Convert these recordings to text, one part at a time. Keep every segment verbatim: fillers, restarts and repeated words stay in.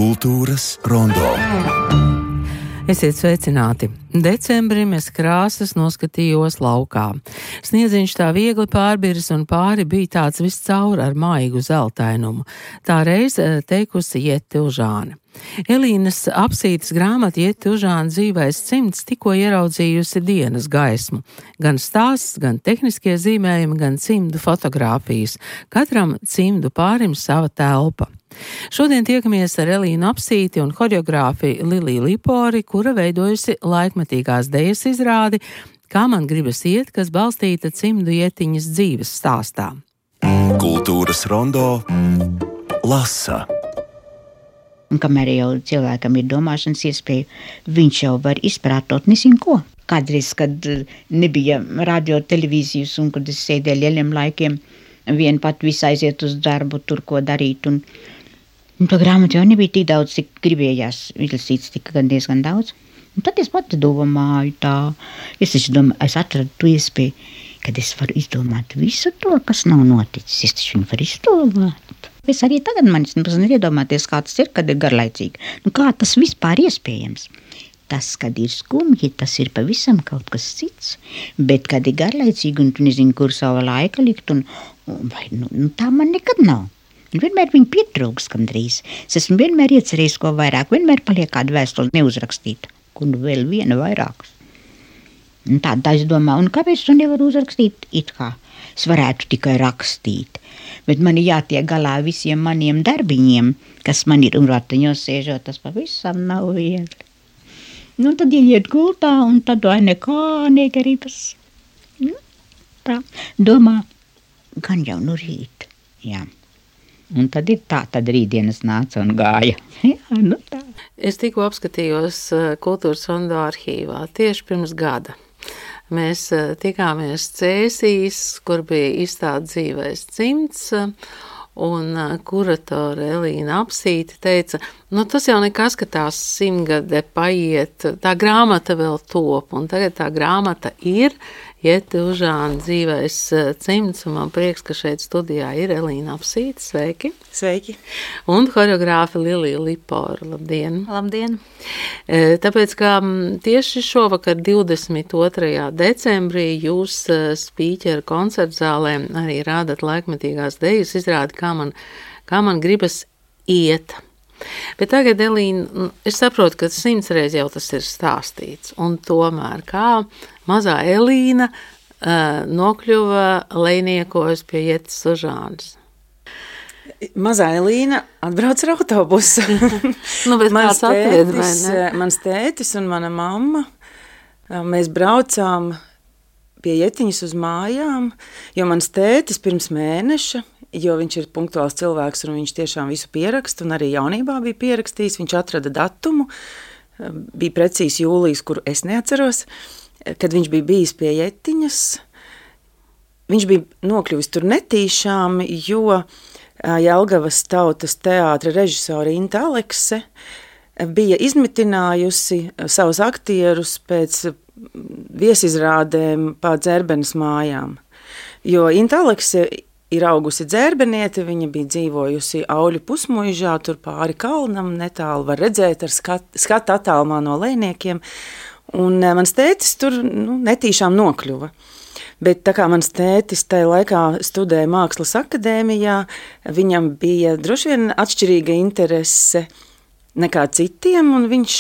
Kultūras rondo. Esiet sveicināti! Decembrī mēs krāsas noskatījos laukā. Sniedziņš tā viegli pārbiris un pāri bija tāds viscaur ar maigu zeltainumu. Tā reiz teikusi Jete Užāne. Elīnas Apsītes grāmata Jete Užāne dzīvais cimds tikko ieraudzījusi dienas gaismu. Gan stāsts, gan tehniskie zīmējumi, gan cimdu fotogrāfijas. Katram cimdu pārim sava telpa. Šodien tiekamies ar Elīnu Apsīti un horeogrāfi Liliju Lipori, kura veidojusi laikmetīgās dejas izrādi Kā man gribas iet, kas balstīta cimdu Jetiņas dzīves stāstā. Kultūras rondo lasa. Un kamēr jau cilvēkam ir domāšanas iespēja, viņš jau var izprātot nezinu ko. Kādreiz, kad nebija radio televīzijas un kad es sēdēju lieliem laikiem, vien pat visu aiziet uz darbu, tur ko darīt. Un, un to grāmatu jau nebija tik daudz, cik gribējās izlasīts, tika gan diezgan daudz. Un tad es pati domāju tā, es taču domāju, es atradu to iespēju, kad es varu izdomāt visu to, kas nav noticis. Es taču viņu varu izdomāt. Es arī tagad manis nevar iedomāties, kā tas ir, kad ir garlaicīgi. Nu, kā tas vispār iespējams? Tas, kad ir skumji, tas ir pavisam kaut kas cits. Bet, kad ir garlaicīgi un tu nezini, kur savu laiku likt, un, un vai, nu, nu, tā man nekad nav. Un vienmēr viņi pietrūks gandrīz. Es esmu vienmēr iecerējis ko vairāk, vienmēr paliek kādu vēstuli neuzrakstītu, un vēl viena vairākus. Un tā, tā es domāju, un kāpēc tu nevaru uzrakstīt it kā? Es varētu tikai rakstīt, bet man ir jātiek galā visiem maniem darbiņiem, kas man ir un ratiņos sēžot, tas pavisam nav viegli. Nu, tad ieiet gultā, un tad vai nekā negribas. Nu, tā, domā, gan jau nu rīt, jā. Un tad ir tā, tad rītdienas nāca un gāja. Jā, nu tā. Es tikko apskatījos Kultūras rondo arhīvā tieši pirms gada. Mēs tikāmies Cēsīs, kur bija izstāde dzīvais cimds, un kuratore Elīna Apsīte teica, nu tas jau nekas, ka tā simtgade paiet, tā grāmata vēl top, un tagad tā grāmata ir Jete Užāne dzīvais cimds, un man prieks, ka šeit studijā ir Elīna Apsīte. Sveiki! Sveiki! Un horeogrāfe Lilija Lipora. Labdien! Labdien! Tāpēc, ka tieši šovakar divdesmit otrajā decembrī jūs spīķera koncertzālē arī rādat laikmetīgās dejas izrādi, kā man, kā man gribas iet. Bet tagad, Elīna, es saprotu, ka simts reiz jau tas ir stāstīts, un tomēr kā mazā Elīna uh, nokļuva lejniekos pie Jetes Užānes. Mazā Elīna atbrauc ar autobusu. Nu, bet mans, kāds atved, tētis, vai ne? mans tētis un mana mamma, mēs braucām pie Jetiņas uz mājām, jo mans tētis pirms mēneša, jo viņš ir punktuāls cilvēks un viņš tiešām visu pieraksta, un arī jaunībā bija pierakstījis, viņš atrada datumu, bija precīzi jūlijas, kuru es neatceros, kad viņš bija bijis pie Jetiņas. Viņš bija nokļuvis tur netīšām, jo Jelgavas Tautas teātra režisore Inta Alekse bija izmitinājusi savus aktierus pēc viesizrādēm pa Dzērbenes mājām. Jo Inta Alekse ir augusi Dzērbeniete, viņa bija dzīvojusi Auļu pusmuižā, tur pāri kalnam, netālu var redzēt ar skat, skatu attālumā no lejniekiem, un mans tētis tur nu, netīšām nokļuva. Bet tā kā mans tētis tajā laikā studēja Mākslas akadēmijā, viņam bija droši vien atšķirīga interese nekā citiem, un viņš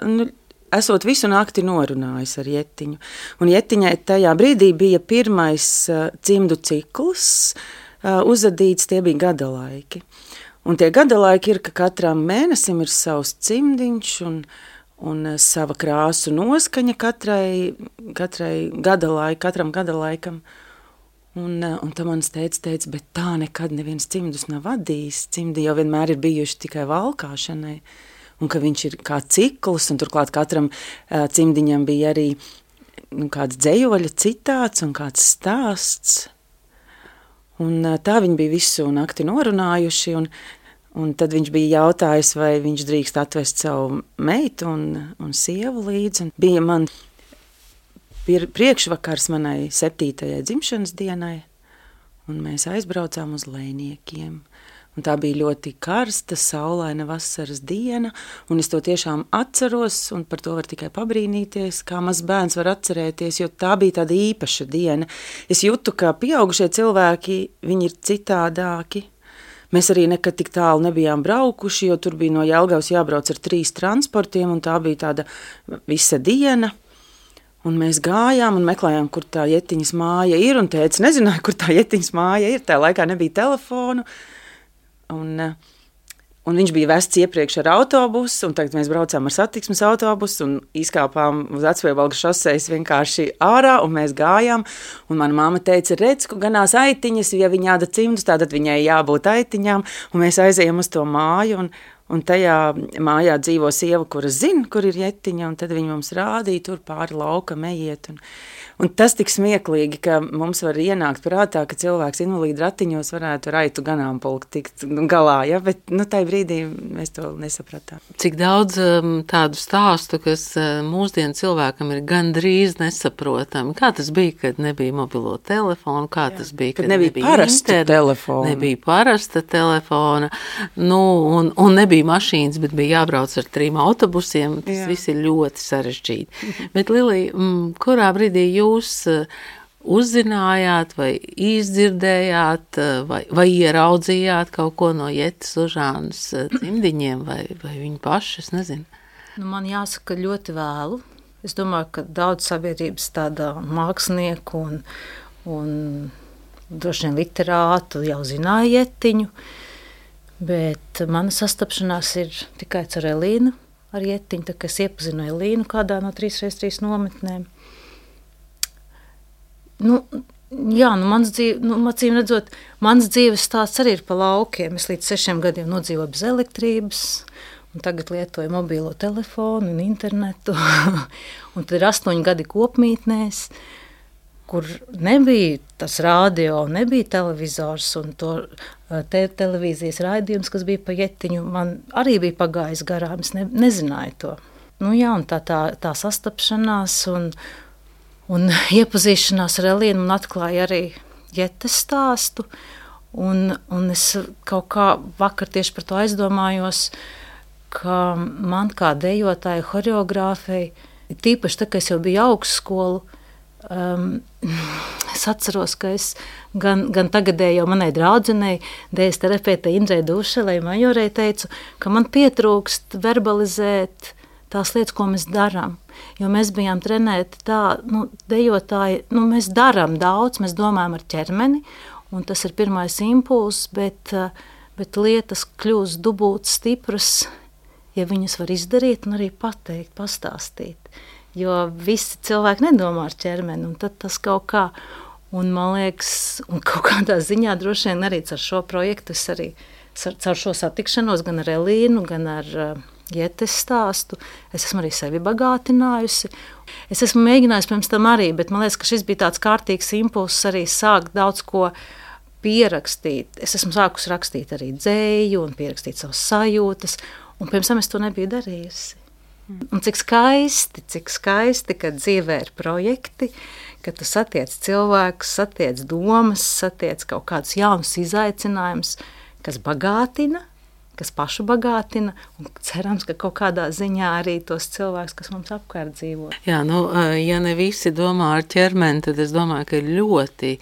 nu, esot visu nakti norunājis ar Jetiņu. Un Jetiņai tajā brīdī bija pirmais uh, cimdu cikls uh, uzadīts, tie bija gada laiki. Un tie gada laiki ir, ka katram mēnesim ir savs cimdiņš un, un uh, sava krāsu noskaņa katrai, katrai gada laik, katram gada laikam. Un, uh, un tā mans teica, teica, bet tā nekad neviens cimdus nav vadījis. Cimdi jau vienmēr ir bijuši tikai valkāšanai. Un ka viņš ir kā cikls, un turklāt katram uh, cimdiņam bija arī nu, kāds dzejoļa citāts un kāds stāsts. Un uh, tā viņi bija visu nakti norunājuši, un, un tad viņš bija jautājis, vai viņš drīkst atvest savu meitu un, un sievu līdzi. Un bija man priekšvakars manai septītajai dzimšanas dienai, un mēs aizbraucām uz lejniekiem. Un tā bija ļoti karsta, saulaina vasaras diena, un es to tiešām atceros, un par to var tikai pabrīnīties, kā mazs bērns var atcerēties, jo tā bija tāda īpaša diena. Es jūtu, ka pieaugušie cilvēki, viņi ir citādāki. Mēs arī nekad tik tālu nebijām braukuši, jo tur bija no Jelgavas jābrauc ar trīs transportiem, un tā bija tāda visa diena. Un mēs gājām un meklējām, kur tā Jetiņas māja ir, un tēvs nezināja, kur tā Jetiņas māja ir. Tā laikā nebija telefonu. Un, un viņš bija vests iepriekš ar autobusu, un tagad mēs braucām ar satiksmes autobusu un izkāpām uz Vecpiebalgas šosejas vienkārši ārā, un mēs gājām. Un mana mamma teica, redz, ka ganās aitiņas, ja viņa āda cimdus, tātad viņai jābūt aitiņām, un mēs aizējām uz to māju, un, un tajā mājā dzīvo sieva, kura zina, kur ir Jetiņa, un tad viņa mums rādīja tur pāri laukam ejiet. Un, un tas tik smieklīgi, ka mums var ienākt prātā, ka cilvēks invalīdu ratiņos varētu raitu ganāmpulku tikt galā, ja? Bet nu, tajā brīdī mēs to nesapratām. Cik daudz um, tādu stāstu, kas uh, mūsdienu cilvēkam ir gandrīz nesaprotami. Kā tas bija, kad nebija mobilo telefonu, kā Jā, tas bija, kad, kad nebija, nebija parasta telefona. Nebija parasta telefona, nu, un, un nebija mašīnas, bet bija jābrauc ar trim autobusiem. Tas Jā. Viss ir ļoti sarežģīti. Bet, Lilija, m, kurā brīdī jūs uzzinājāt vai izdzirdējāt vai, vai ieraudzījāt kaut ko no Jetas Užānas cimdiņiem vai, vai viņa paši, es nezinu? Nu, man jāsaka ļoti vēlu. Es domāju, ka daudz sabiedrības tādā mākslinieku un, un droši vien literātu jau zināja Jetiņu, bet mana sastapšanās ir tikai ar Elīnu, ar Jetiņu, tā kā es iepazinu Elīnu kādā no trīs reiz trīs nometnēm. Nu, jā, nu mans dzīve, nu, acīm redzot, mans dzīves stāsts arī ir pa laukiem. Es līdz sešiem gadiem nodzīvoju bez elektrības, un tagad lietoju mobilo telefonu un internetu. Un tad ir astoņi gadi kopmītnēs, kur nebija tas radio, nebija televizors, un to te, televīzijas raidījums, kas bija pa Jetiņu, man arī bija pagājis garām, es ne, nezināju to. Nu jā, un tā, tā, tā sastapšanās un Un iepazīšanās ar Elīnu un atklāja arī Jetes stāstu. Un, un es kaut kā vakar tieši par to aizdomājos, ka man kā dejotāja horeogrāfei, tīpaši tā, ka es jau biju augstskolu, um, es atceros, ka es gan, gan tagadējo manai draudzenei, dējas terapeitei Indrei Dušelei Majorei teicu, ka man pietrūkst verbalizēt tās lietas, ko mēs darām. Jo mēs bijām trenēti tā, nu, dejotāji, nu, mēs darām daudz, mēs domājam ar ķermeni, un tas ir pirmais impulss, bet, bet lietas kļūst dubult stipras, ja viņas var izdarīt un arī pateikt, pastāstīt. Jo visi cilvēki nedomā ar ķermeni, un tad tas kaut kā, un man liekas, un kaut kādā ziņā droši vien arī ar šo projektu, es arī ar šo satikšanos gan ar Elīnu, gan ar Jetes stāstu, es esmu arī sevi bagātinājusi. Es esmu mēģinājusi pirms tam arī, bet man liekas, ka šis bija tāds kārtīgs impulss arī sākt daudz ko pierakstīt. Es esmu sākusi rakstīt arī dzēju un pierakstīt savas sajūtas, un pirms tam es to nebiju darījusi. Un cik skaisti, cik skaisti, kad dzīvē ir projekti, kad tu satiec cilvēkus, satiec domas, satiec kaut kādus jaunus izaicinājumus, kas bagātina, kas pašu bagātina, un cerams, ka kaut kādā ziņā arī tos cilvēkus, kas mums apkārt dzīvo. Jā, nu, ja ne visi domā ar ķermeni, tad es domāju, ka ir ļoti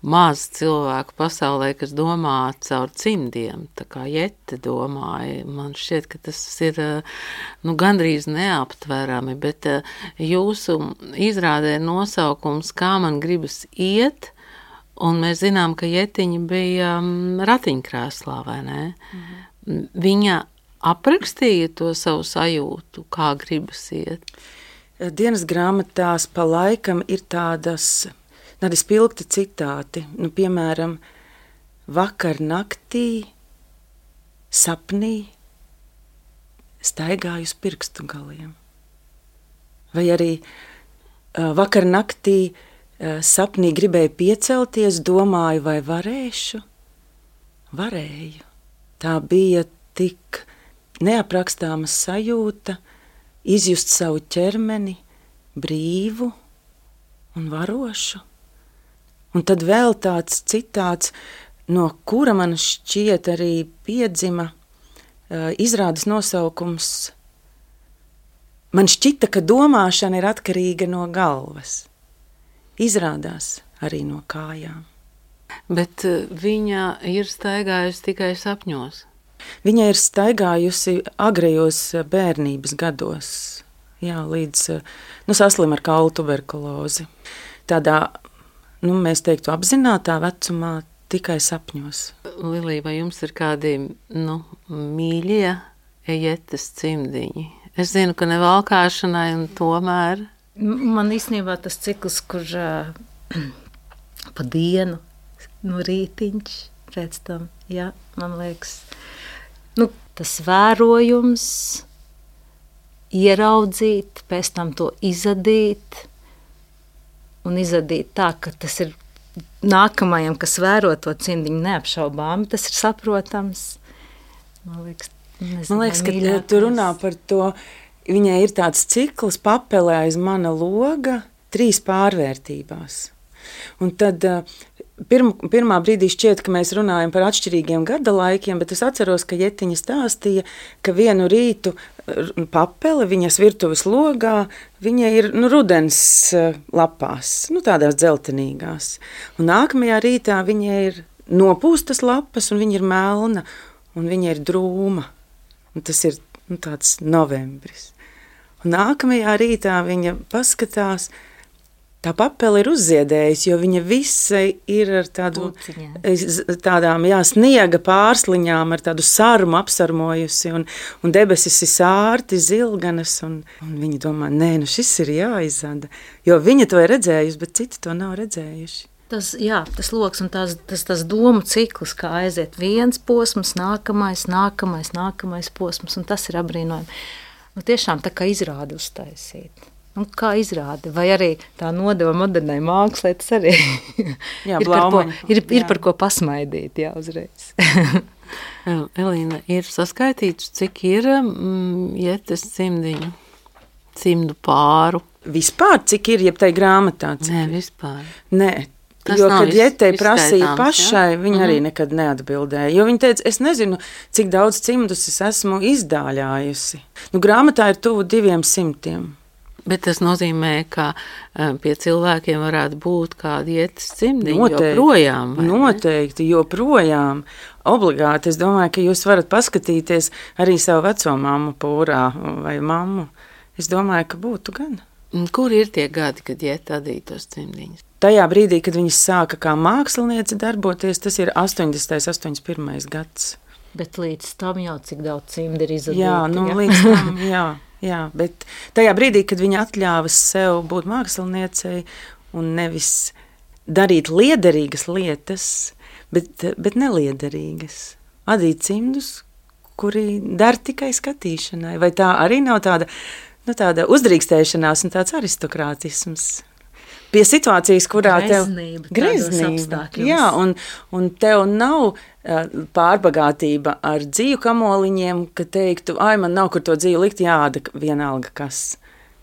maz cilvēku pasaulē, kas domā caur cimdiem, tā kā Jete domāja. Man šķiet, ka tas ir, nu, gandrīz neaptverami, bet jūsu izrādē nosaukums Kā man gribas iet, un mēs zinām, ka Jetiņa bija ratiņkrēslā, vai ne? Mhm. Viņa aprakstīja to savu sajūtu, kā gribas iet. Dienas grāmatās pa laikam ir tādas, tādi spilgti citāti. Nu, piemēram, vakar naktī, sapnī, staigāju uz pirkstu galiem. Vai arī vakar naktī, sapnī gribēju piecelties, domāju, vai varēšu? Varēju. Tā bija tik neaprakstāma sajūta, izjust savu ķermeni, brīvu un varošu. Un tad vēl tāds citāts, no kura man šķiet arī piedzima uh, izrādes nosaukums. Man šķita, ka domāšana ir atkarīga no galvas. Izrādās arī no kājām. Bet viņa ir staigājusi tikai sapņos. Viņa ir staigājusi agrajos bērnības gados, jā, līdz nu, saslim ar kaulu tuberkulozi. Tādā, nu, mēs teiktu, apzinātā vecumā tikai sapņos. Lilija, vai jums ir kādi nu, mīļie ejetes cimdiņi? Es zinu, ka ne valkāšanai, un tomēr. Man īstenībā tas cikls, kur uh, pa dienu, no rītiņš pēc tam, jā, man liekas, nu, tas vērojums, ieraudzīt, pēc tam to izadīt, un izadīt tā, ka tas ir nākamajam, kas vēro to cimdiņu neapšaubāmi, tas ir saprotams. Man liekas, Nezinu, Man liekas, ka tu runā par to, viņai ir tāds cikls papelē aiz mana loga trīs pārvērtībās. Un tad pirm, pirmā brīdī šķiet, ka mēs runājam par atšķirīgiem gada laikiem, bet es atceros, ka Jetiņa stāstīja, ka vienu rītu papele viņas virtuves logā, viņa ir nu, rudens lapās, nu, tādās dzeltenīgās. Un nākamajā rītā viņa ir nopūstas lapas, un viņa ir melna, un viņa ir drūma. Un tas ir nu, tāds novembris. Un nākamajā rītā viņa paskatās, tā papele ir uzziedējusi, jo viņa visa ir ar tādu, tādām jā, sniega pārsliņām, ar tādu sarmu apsarmojusi, un, un debesis ir sārti, zilganas, un, un viņa domā, nē, nu šis ir jāizada, jo viņa to ir redzējusi, bet citi to nav redzējuši. Tas, jā, tas loks un tās, tas, tas domu cikls, kā aiziet viens posms, nākamais, nākamais, nākamais posms, un tas ir apbrīnojami. Nu, tiešām tā kā izrādi uztaisīt. Nu, kā izrādi? Vai arī tā nodeva modernai mākslē, tas arī jā, ir, par ko, ir, ir par ko pasmaidīt, jā, uzreiz. Elīna, ir saskaitīts, cik ir mm, Jetes cimdiņu, cimdu pāru? Vispār, cik ir, jeb tai grāmatā? Nē, vispār. Nē. Tas jo, kad Jetei prasīja pašai, viņa mm-hmm. arī nekad neatbildēja. Jo viņa teica, es nezinu, cik daudz cimdus es esmu izdāļājusi. Nu, grāmatā ir tuvu diviem simtiem. Bet tas nozīmē, ka pie cilvēkiem varētu būt kādi Jetes cimdiņi joprojām. Noteikti, joprojām. Obligāti. Es domāju, ka jūs varat paskatīties arī savu veco mammu pūrā vai mammu. Es domāju, ka būtu gan. Kur ir tie gadi, kad Jete adīja tos cimdiņus? Tajā brīdī, kad viņas sāka kā māksliniece darboties, tas ir astoņdesmitais, astoņdesmit pirmais gads. Bet līdz tam jau cik daudz cimdi ir izadīti. Jā, nu jā? līdz tam, jā, jā. Bet tajā brīdī, kad viņa atļāva sev būt māksliniecei un nevis darīt liederīgas lietas, bet, bet neliederīgas. Adīt cimdus, kuri der tikai skatīšanai. Vai tā arī nav tāda, nu, tāda uzdrīkstēšanās un tāds aristokrātisms? Pie situācijas, kurā greznība, tev greznība, jā, un, un tev nav uh, pārbagātība ar dzīvu kamoliņiem, ka teiktu, ai, man nav kur to dzīvu likt, jāda vienalga kas.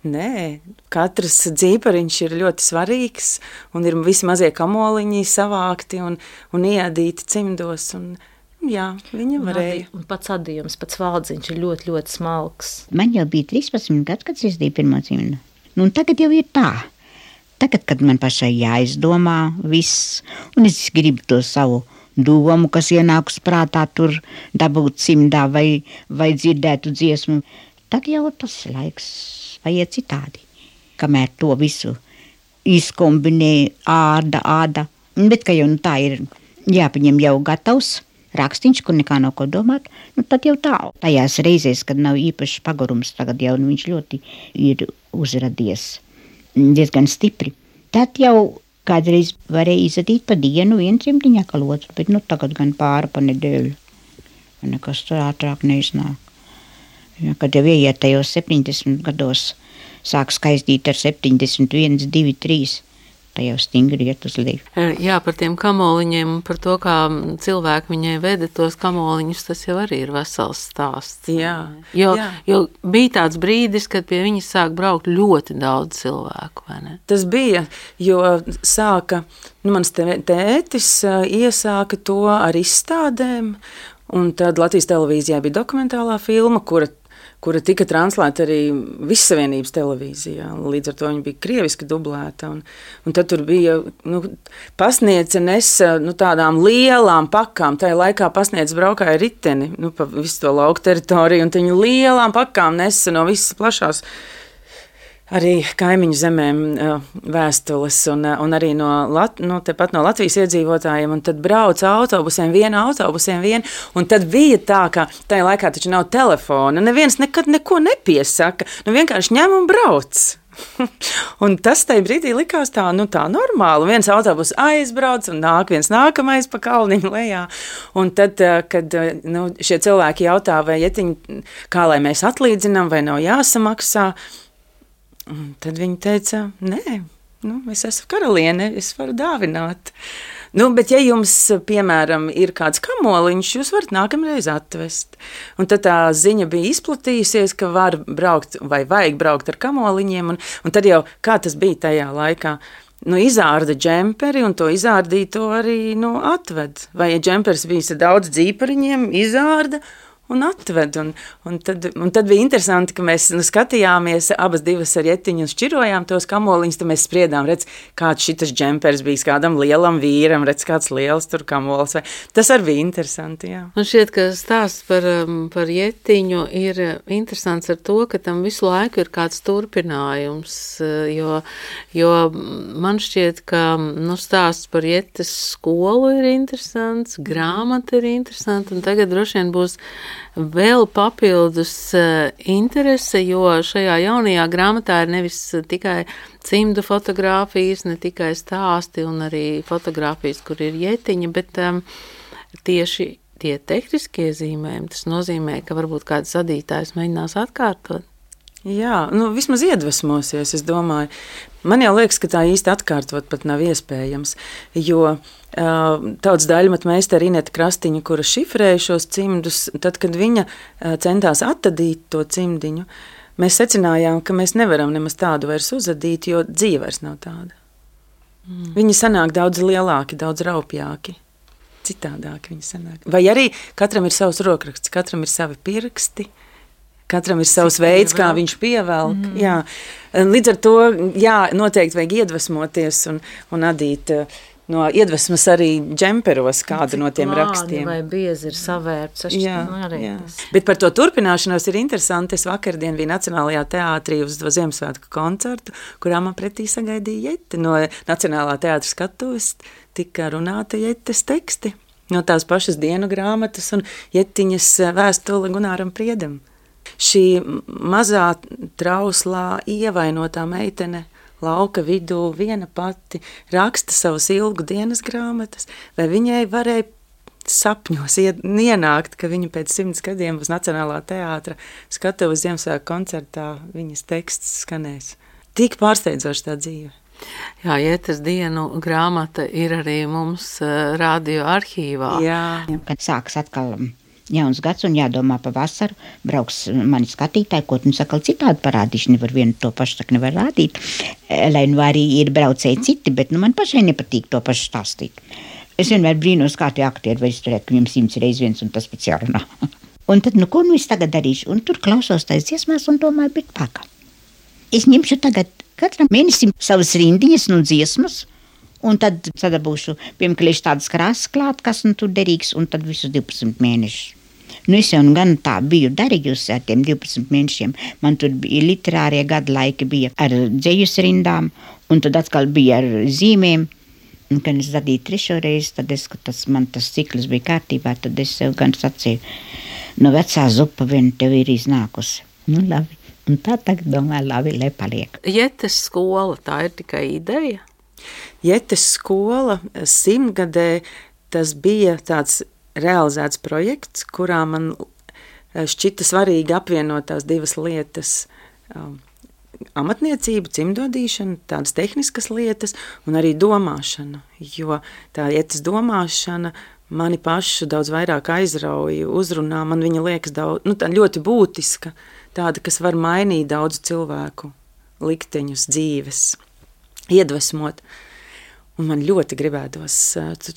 Nē, katrs dzīpariņš ir ļoti svarīgs, un ir visi mazie kamoliņi savākti un, un iedīti cimdos, un jā, viņa varēja. Un pats adījums, pats valdziņš ir ļoti, ļoti smalks. Man jau bija trīspadsmit gads, kad es izdīju pirmo cimdu. Nu, un tagad jau ir tā. Tagad, kad man pašai jāizdomā viss, un es gribu to savu domu, kas ienākus prātā tur dabūt cimdā vai, vai dzirdētu dziesmu, tad jau tas laiks vajag citādi. Kamēr to visu izkombinē āda, āda. Bet, ka jau nu, tā ir jāpaņem jau gatavs rakstīņš, kur nekā nav ko domāt, nu tad jau tā. Tajās reizēs, kad nav īpašs pagurums, tagad jau nu, viņš ļoti ir uzradies. Diezgan stipri. Tad jau kādreiz varēja izadīt pa dienu vienu cimdiņu akalotu, bet nu tagad gan pāri pa nedēļu. Nekas tur ātrāk neiznāk. Ja, kad jau ieiet tajos septiņdesmit gados, sāk skaistīt ar septiņdesmit viens, divi, trīs, tā jau stingri iet uz leju. Jā, par tiem kamoliņiem un par to, kā cilvēki viņai veda tos kamoliņus, tas jau arī ir vesels stāsts. Jā, jo, jā. jo bija tāds brīdis, kad pie viņas sāk braukt ļoti daudz cilvēku, vai ne? Tas bija, jo sāka, nu, mans tētis iesāka to ar izstādēm, un tad Latvijas televīzijā bija dokumentālā filma, kura kura tika translēta arī Vissavienības televīzijā. Līdz ar to viņa bija krieviski dublēta. Un, un tad tur bija nu, pasniedze nesa nu, tādām lielām pakām. Tajā laikā pasniedze braukāja riteni nu, pa visu to lauku teritoriju, un viņa lielām pakām nesa no visas plašās arī kaimiņu zemēm vēstules un, un arī no, Lat, no, tepat no Latvijas iedzīvotājiem. Un tad brauca autobusiem, viena autobusiem, viena. Un tad bija tā, ka tajā laikā taču nav telefona. Neviens nekad neko nepiesaka. Nu vienkārši ņem un brauc. Un tas tajā brīdī likās tā, nu tā normāli. Viens autobus aizbrauc un nāk viens nākamais pa kalniņu lejā. Un tad, kad nu, šie cilvēki jautā, vai ietiņi, kā lai mēs atlīdzinām, vai nav jāsamaksā, tad viņi teica, nē, nu, es esmu karaliene, es varu dāvināt. Nu, bet ja jums, piemēram, ir kāds kamoliņš, jūs varat nākamreiz atvest. Un tad tā ziņa bija izplatījusies, ka var braukt vai vajag braukt ar kamoliņiem. Un, un tad jau, kā tas bija tajā laikā, nu, izārda džemperi un to izārdīto arī nu, atved. Vai ja džemperis bija daudz dzīpariņiem, izārda un atved. Un, un, tad, un tad bija interesanti, ka mēs nu, skatījāmies abas divas ar Ietiņu un šķirojām tos kamoliņus, tad mēs spriedām, redz, kāds šitas džemperis bijis kādam lielam vīram, redz, kāds liels tur kamols. Vai. Tas arī bija interesanti, jā. Man šķiet, ka stāsts par, par Ietiņu ir interesants ar to, ka tam visu laiku ir kāds turpinājums, jo, jo man šķiet, ka nu, stāsts par Ietes skolu ir interesants, grāmata ir interesanta, un tagad droši vien būs vēl papildus uh, interese, jo šajā jaunajā grāmatā ir nevis tikai cimdu fotogrāfijas, ne tikai stāsti un arī fotogrāfijas, kur ir Ietiņa, bet um, tieši tie tehniskie zīmējumi, tas nozīmē, ka varbūt kāds adītājs mēģinās atkārtot. Jā, nu vismaz iedvesmosies, es domāju. Man jau liekas, ka tā īsti atkārtot pat nav iespējams, jo uh, tautas daļmatu meistara Ineta Krastiņa, kura šifrēja šos cimdus, tad, kad viņa uh, centās atadīt to cimdiņu, mēs secinājām, ka mēs nevaram nemaz tādu vairs uzadīt, jo dzīve vairs nav tāda. Mm. Viņi sanāk daudz lielāki, daudz raupjāki, citādāki viņi sanāk. Vai arī katram ir savs rokraksts, katram ir savi pirksti, katram ir savs veids, kā viņš pievelk. Mm. Jā. Līdz ar to, jā, noteikti vajag iedvesmoties un, un adīt no iedvesmas arī džemperos kādu Cik no tiem rakstiem. Vai biezi ir savērts. Jā, jā. Bet par to turpināšanos ir interesanti. Es vakardien biju Nacionālajā teātrī uz to Ziemassvētku koncertu, kurā man pretī sagaidīja Iete. No Nacionālā teātra skatuves tika runāta Ietes teksti. No tās pašas dienu grāmatas un Ietiņas vēstule Gunāram Priedam. Šī mazā trauslā ievainotā meitene lauka vidū viena pati raksta savus ilgu dienas grāmatas, vai viņai varēja sapņos ienākt, ka viņa pēc simts gadiem uz Nacionālā teātra skatuves Ziemassvētku koncertā viņas teksts skanēs. Tik pārsteidzoši tā dzīve. Jā, Ietes dienu grāmata ir arī mums radio arhīvā. Jā. Kad sāks atkal jauns gads un jādomā pa vasaru, brauks mani skatītāji, ko tu sakal citādi parādīšu, nevar vienu to pašu tak nevar rādīt, lai nu arī ir braucēji citi, bet nu man pašai nepatīk to pašu stāstīt. Es vienmēr brīnos, kā tie aktieri, vai es turētu, ka viņam simts reiz viens un tas pēc jārunā. Un tad, nu ko nu es tagad darīšu? Un tur klausos tais dziesmās un domāju, bet paka. Es ņemšu tagad katram mēnesim savas rindiņas un dziesmas, un tad sadabūšu, piemēram, tādas krāsas klāt, kas nu tur derīgs, un tad visus divpadsmit mēnešus. Nu, es jau gan tā biju darījusi ar tiem divpadsmit mēnešiem. Man tur bija literārie gadu laiki, bija ar dzejus rindām, un tad atkal bija ar zīmēm. Un, kad es zadīju trešo reizi, tad es, ka tas, man tas cikls bija kārtībā, tad es sev gan sacīju, no vecā zupa vien tev ir iznākusi. Nu, labi. Un tā tagad domāju, labi, lai paliek. Ietes skola, tā ir tikai ideja? Ietes skola simtgadē, tas bija tāds realizēts projekts, kurā man šķita svarīgi apvienot tās divas lietas. amatniecība, cimdodīšana, tādas tehniskas lietas un arī domāšana, jo tā ietas domāšana mani pašu daudz vairāk aizrauja, uzrunā, man viņa liekas daudz, nu, tā ļoti būtiska, tāda, kas var mainīt daudzu cilvēku likteņus, dzīves, iedvesmot. Un man ļoti gribētos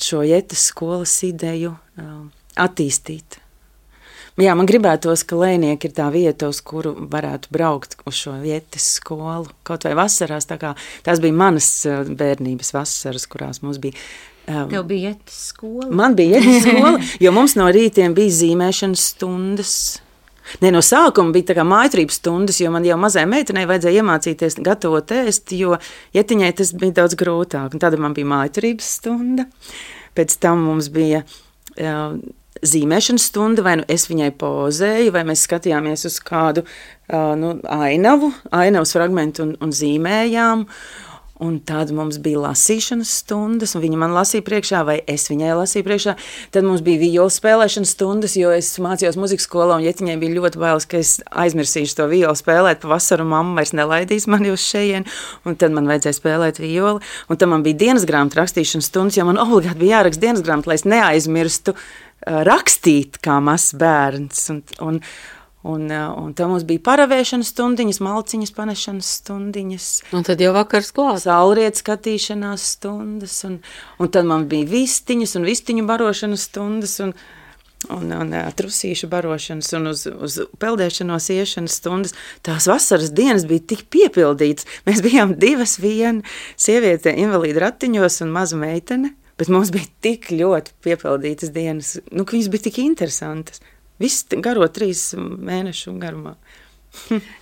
šo ietas skolas ideju attīstīt. Jā, man gribētos, ka Lēnieki ir tā vieta, uz kuru varētu braukt uz šo ietas skolu, kaut vai vasarās, tā kā tās bija manas bērnības vasaras, kurās mums bija. Um, Tev bija ietas skola? Man bija ietas skola, jo mums no rītiem bija zīmēšanas stundas. Ne, no sākuma bija tā kā mājturības stundas, jo man jau mazai meitenei vajadzēja iemācīties gatavot ēst, jo ietiņai tas bija daudz grūtāk. Un tad man bija mājturības stunda, pēc tam mums bija uh, zīmēšanas stunda, vai nu es viņai pozēju, vai mēs skatījāmies uz kādu uh, nu, ainavu, ainavas fragmentu un, un zīmējām. Un tad mums bija lasīšanas stundas, un viņa man lasīja priekšā, vai es viņai lasīju priekšā. Tad mums bija viola spēlēšanas stundas, jo es mācījos muzikas skolā, un Ietiņai bija ļoti bailes, ka es aizmirsīšu to violu spēlēt pa vasaru, mamma vairs nelaidīs mani uz šejienu, un tad man vajadzēja spēlēt violi. Un tad man bija dienas grāmatu rakstīšanas stundas, jo man obligāti bija jāraksta dienas grāmatu, lai es neaizmirstu uh, rakstīt kā mazs bērns. Un, un, Un, un tā mums bija paravēšanas stundiņas, malciņas panešanas stundiņas. Un tad jau vakars klāt. Saulrietu skatīšanās stundas. Un, un tad man bija vistiņas un vistiņu barošanas stundas un, un, un trusīšu barošanas un uz, uz peldēšanos iešanas stundas. Tās vasaras dienas bija tik piepildītas. Mēs bijām divas viena sieviete invalīda ratiņos un maza meitene, bet mums bija tik ļoti piepildītas dienas, nu, ka viņas bija tik interesantas. Viss garo trīs mēnešu garumā.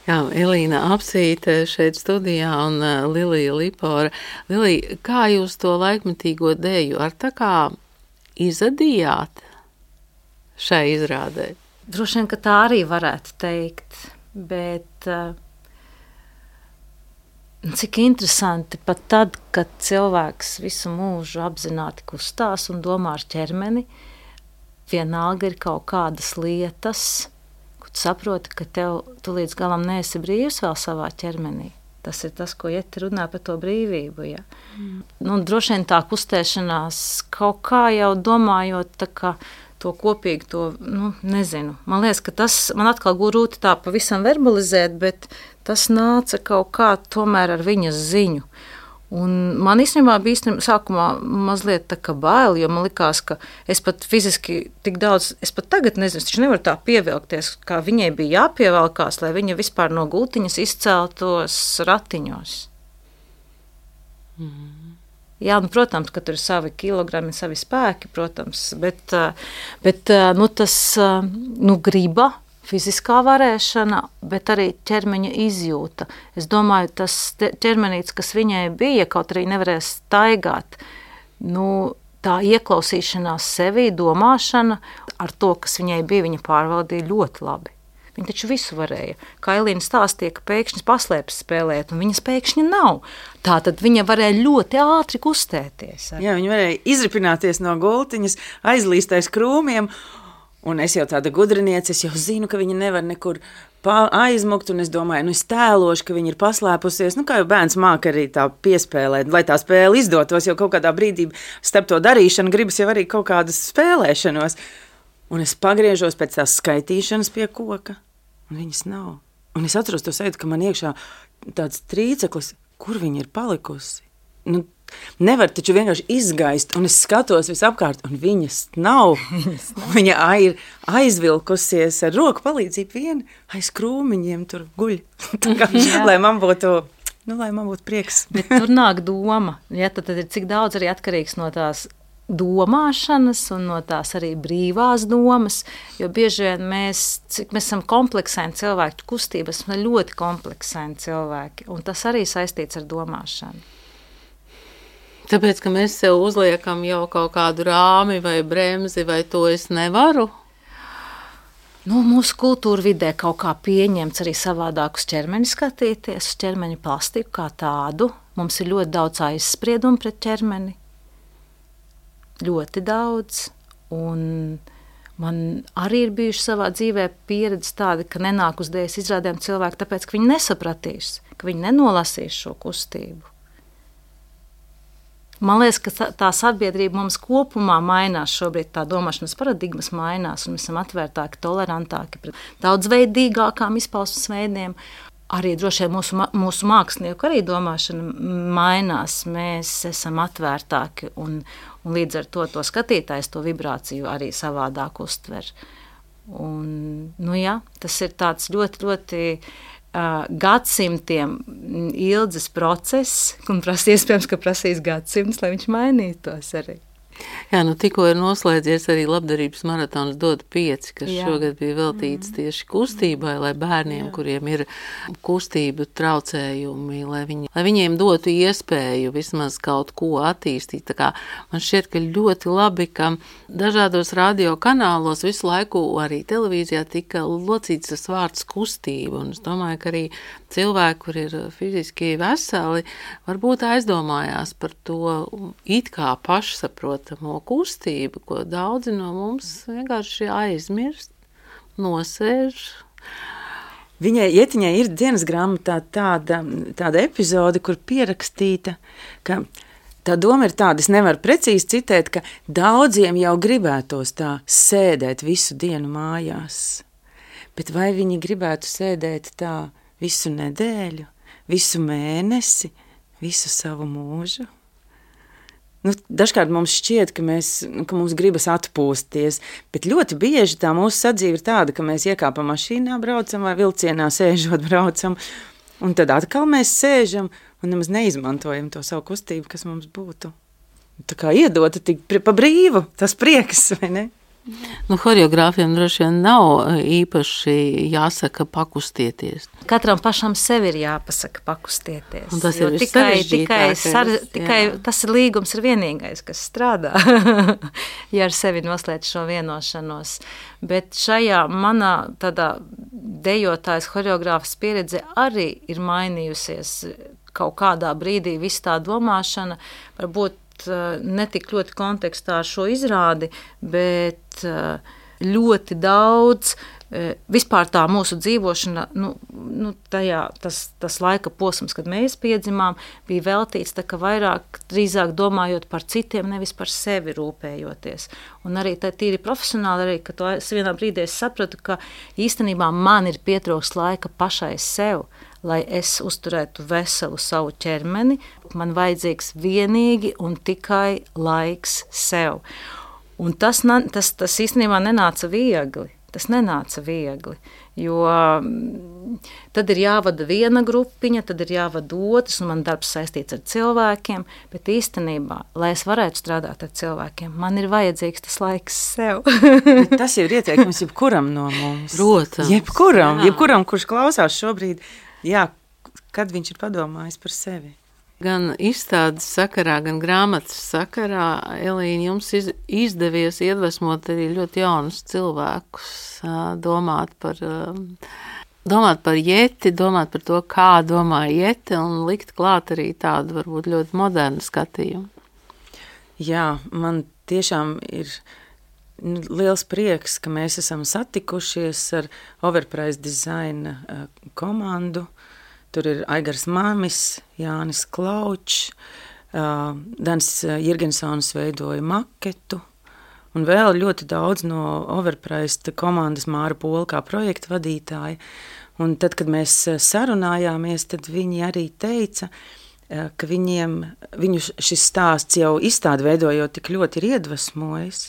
Jā, Elīna Apsīte šeit studijā un uh, Lilija Lipora. Lilija, kā jūs to laikmetīgo dēju ar tā kā izadījāt šai izrādē? Droši vien, ka tā arī varētu teikt, bet uh, cik interesanti pat tad, kad cilvēks visu mūžu apzināti kustās un domā ar ķermeni, vienalga ir kaut kādas lietas, kur tu saproti, ka tev, tu līdz galam neesi brīvs vēl savā ķermenī. Tas ir tas, ko Ieti runā par to brīvību. Ja. Mm. Nu, droši vien tā kustēšanās kaut kā jau domājot tā kā to kopīgi, to, nu, nezinu. Man liekas, ka tas, man atkal grūti tā pavisam verbalizēt, bet tas nāca kaut kā tomēr ar viņas ziņu. Un man īstenībā bija īstenībā sākumā mazliet tā kā bail, jo man likās, ka es pat fiziski tik daudz, es pat tagad nezinu, es taču nevaru tā pievilkties, kā viņai bija jāpievelkās, lai viņa vispār no gultiņas izceltos ratiņos. Mm. Jā, nu, protams, ka tur ir savi kilogrami, savi spēki, protams, bet, bet nu, tas nu, griba, fiziskā varēšana, bet arī ķermeņa izjūta. Es domāju, tas ķermenīts, kas viņai bija, kaut arī nevarēja staigāt, nu, tā ieklausīšanās sevī, domāšana ar to, kas viņai bija, viņa pārvaldīja ļoti labi. Viņa taču visu varēja. Kā Elīna stāstīja, ka pēkšņi paslēpes spēlēt, un viņas pēkšņi nav. Tātad viņa varēja ļoti ātri kustēties. Jā, viņa varēja izripināties no gultiņas, aizlīst aiz krūmiem. Un es jau tāda gudriniece, es jau zinu, ka viņa nevar nekur aizmukt, un es domāju, nu es tēlošu, ka viņa ir paslēpusies, nu kā jau bērns māk arī tā piespēlēt, lai tā spēle izdotos, jo kaut kādā brīdī starp to darīšanu gribas jau arī kaut kādas spēlēšanos. Un es pagriežos pēc tās skaitīšanas pie koka, un viņas nav. Un es atceros to sajūtu, ka man iekšā tāds trīceklis, kur viņa ir palikusi. Nu, nevar taču vienkārši izgaist, un es skatos visapkārt, un viņas nav. Viņa ir aizvilkusies ar roku palīdzību viena aiz krūmiņiem tur guļ. kā, lai man būtu, nu, lai man būtu prieks. Bet tur nāk doma, ja, tad, tad ir cik daudz arī atkarīgs no tās domāšanas un no tās arī brīvās domas, jo bieži vien mēs, cik mēs esam kompleksēni cilvēki, kustības, mēs ļoti kompleksēni cilvēki, un tas arī saistīts ar domāšanu. Tāpēc, ka mēs sev uzliekam jau kaut kādu rāmi vai bremzi, vai to es nevaru? Nu, mūsu kultūra vidē kaut kā pieņemts arī savādāk uz ķermeni skatīties, uz ķermeņa plastiku kā tādu. Mums ir ļoti daudz aizspriedumu pret ķermeni. Ļoti daudz. Un, Man arī ir bijuši savā dzīvē pieredze tāda, ka nenāk uz dēļas izrādēm cilvēki, tāpēc, ka viņi nesapratīs, ka viņi nenolasīs šo kustību. Man liekas, ka tā sabiedrība mums kopumā mainās šobrīd, tā domāšanas paradigmas mainās, un mēs esam atvērtāki, tolerantāki pret daudzveidīgākām izpausmes veidiem. Arī droši vien mūsu, mūsu mākslinieku arī domāšana mainās, mēs esam atvērtāki, un, un līdz ar to to skatītājs to vibrāciju arī savādāk uztver. Un, nu jā, tas ir tāds ļoti, ļoti uh, gadsimtiem ilgs process, un pras, iespējams, ka prasīs gadsimts, lai viņš mainītos arī. Jā, nu tikko ir noslēdzies arī labdarības maratons Dod pieci, kas Jā. šogad bija veltīts tieši kustībai, lai bērniem, Jā. kuriem ir kustību traucējumi, lai, viņi, lai viņiem dotu iespēju vismaz kaut ko attīstīt. Tā kā man šķiet, ka ļoti labi, ka dažādos radio kanālos visu laiku arī televīzijā tika locīts tas vārds kustība, un es domāju, ka arī cilvēki, kur ir fiziski veseli, varbūt aizdomājās par to it kā pašsaprotamo kustību, ko daudzi no mums vienkārši aizmirst, nosēž. Viņai Ietiņai ir dienas grāmatā tāda, tāda epizode, kur pierakstīta, ka tā doma ir tāda, es nevaru precīzi citēt, ka daudziem jau gribētos tā sēdēt visu dienu mājās, bet vai viņi gribētu sēdēt tā visu nedēļu, visu mēnesi, visu savu mūžu? Nu, dažkārt mums šķiet, ka, mēs, ka mums gribas atpūsties, bet ļoti bieži tā mūsu sadzīve ir tāda, ka mēs iekāpam mašīnā, braucam vai vilcienā sēžot braucam, un tad atkal mēs sēžam un nemaz neizmantojam to savu kustību, kas mums būtu tā kā iedota tik pa brīvu, tas prieks, vai ne? Nu, choreogrāfiem droši vien nav īpaši jāsaka pakustieties. Katram pašam sev ir jāpasaka pakustieties. Un tas ir tikai, tikai, sar, tikai tas ir līgums ir vienīgais, kas strādā, ja ar sevi noslēdz šo vienošanos. Bet šajā manā tādā dejotājas choreogrāfas pieredze arī ir mainījusies kaut kādā brīdī viss tā domāšana, varbūt ne tik ļoti kontekstā ar šo izrādi, bet ļoti daudz vispār tā mūsu dzīvošana, nu, nu tajā, tas, tas laika posms, kad mēs piedzimām, bija veltīts tā, ka vairāk, drīzāk domājot par citiem, nevis par sevi rūpējoties. Un arī tā tīri profesionāli, arī, ka to es vienā brīdī es sapratu, ka īstenībā man ir pietrūkst laika pašai sev, lai es uzturētu veselu savu ķermeni, man vajadzīgs vienīgi un tikai laiks sev. Un tas, tas, tas īstenībā nenāca viegli, tas nenāca viegli, jo tad ir jāvada viena grupiņa, tad ir jāvada otrs, un man darbs saistīts ar cilvēkiem, bet īstenībā, lai es varētu strādāt ar cilvēkiem, man ir vajadzīgs tas laiks sev. Tas jau ir ieteikums jebkuram no mums. Protams. Jebkuram, jebkuram, kurš klausās šobrīd, jā, kad viņš ir padomājis par sevi. Gan izstādes sakarā, gan grāmatas sakarā, Elīna, jums iz, izdevies iedvesmot arī ļoti jaunus cilvēkus, domāt par, domāt par Jeti, domāt par to, kā domā Jeti, un likt klāt arī tādu varbūt ļoti modernu skatījumu. Jā, man tiešām ir liels prieks, ka mēs esam satikušies ar Overprice Design komandu. Tur ir Aigars Mamis, Jānis Klaučs, uh, Dans Jirgensons veidoja maketu, un vēl ļoti daudz no Overprice komandas Māra Pola kā projekta vadītāja. Un tad, kad mēs sarunājāmies, tad viņi arī teica, uh, ka viņiem, viņu šis stāsts jau izstādi veidojot tik ļoti ir iedvesmojis,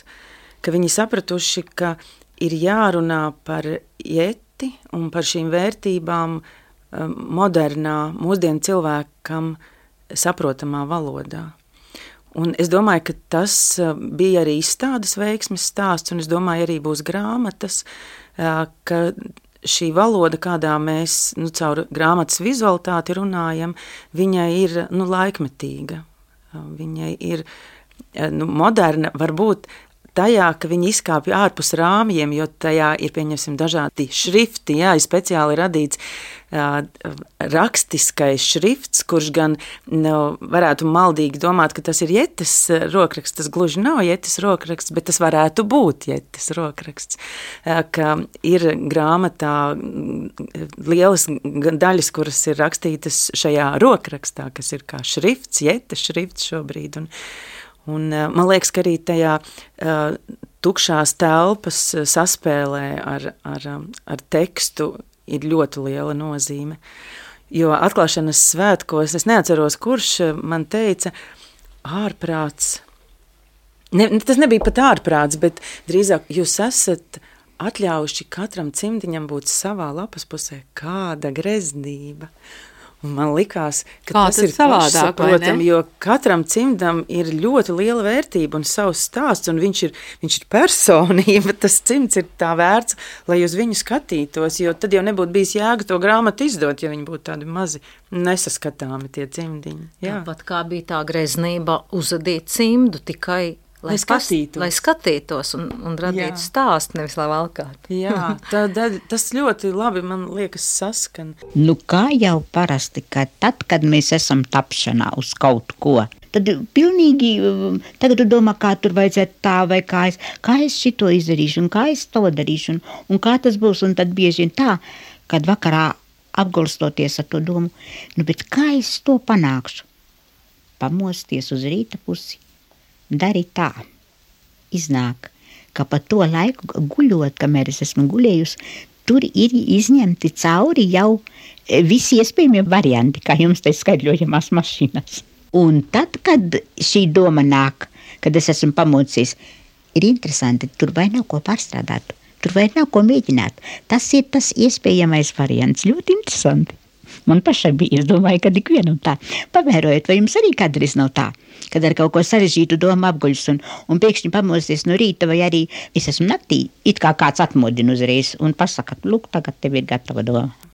ka viņi sapratuši, ka ir jārunā par Jeti un par šīm vērtībām modernā, mūsdienu cilvēkam saprotamā valodā. Un es domāju, ka tas bija arī izstādes veiksmes stāsts, un es domāju, arī būs grāmatas, ka šī valoda, kādā mēs nu, caur grāmatas vizualitāti runājam, viņai ir nu, laikmetīga. Viņai ir nu, moderna, varbūt tajā, ka viņi izkāpja ārpus rāmjiem, jo tajā ir, pieņemsim, dažādi šrifti, jā, ir speciāli radīts uh, rakstiskais šrifts, kurš gan nu, varētu maldīgi domāt, ka tas ir Jetes rokraksts. Tas gluži nav Jetes rokraksts, bet tas varētu būt Jetes rokraksts. Uh, ka ir grāmatā lielas daļas, kuras ir rakstītas šajā rokrakstā, kas ir kā šrifts, Jetes šrifts šobrīd. Un, un man liekas, ka arī tajā uh, tukšās telpas saspēlē ar, ar, ar tekstu ir ļoti liela nozīme. Jo atklāšanas svētkos, es neatceros, kurš man teica, ārprāts. Ne, tas nebija pat ārprāts, bet drīzāk jūs esat atļaujuši katram cimdiņam būt savā lapas pusē. Kāda greznība! Un man likās, ka Kā tas ir savādāk, vai ne? jo katram cimdam ir ļoti liela vērtība un savs stāsts, un viņš ir, viņš ir personība, tas cimds ir tā vērts, lai uz viņu skatītos, jo tad jau nebūtu bijis jēga to grāmatu izdot, ja viņi būtu tādi mazi nesaskatāmi tie cimdiņi. Jā. Tāpat kā bija tā greznība uzadīt cimdu tikai, lai, Lai skatītos. Pas, lai skatītos un, un radītu Jā. stāstu, nevis lai valkātu. Jā, tā, tā, tas ļoti labi, man liekas, saskan. Nu, kā jau parasti, ka tad, kad mēs esam tapšanā uz kaut ko, tad pilnīgi tagad tu domā, kā tur vajadzētu tā vai kā es, kā es šito izdarīšu un kā es to darīšu un, un kā tas būs. Un tad bieži vien tā, kad vakarā apgulstoties ar to domu, nu, bet kā es to panākšu? Pamosties uz rīta pusi. Dari tā, iznāk, ka pa to laiku guļot, kamēr es esmu guļējusi, tur ir izņemti cauri jau visi iespējamie varianti, kā jums te skaidļojamās mašīnas. Un tad, kad šī doma nāk, kad es esmu pamodsies, ir interesanti, tur vai nav ko pārstrādāt, tur vai nav ko mēģināt. Tas ir tas iespējamais variants, ļoti interesanti. Man pašai bija, es domāju, ka ikvienam tā. Pamērojot, vai jums arī kādreiz nav tā, kad ar kaut ko sarežģītu domu apguļas un, un pēkšņi pamosties no rīta, vai arī es esmu naktī, it kā kāds atmodina uzreiz un pasaka, lūk, tagad tev ir gatava doma.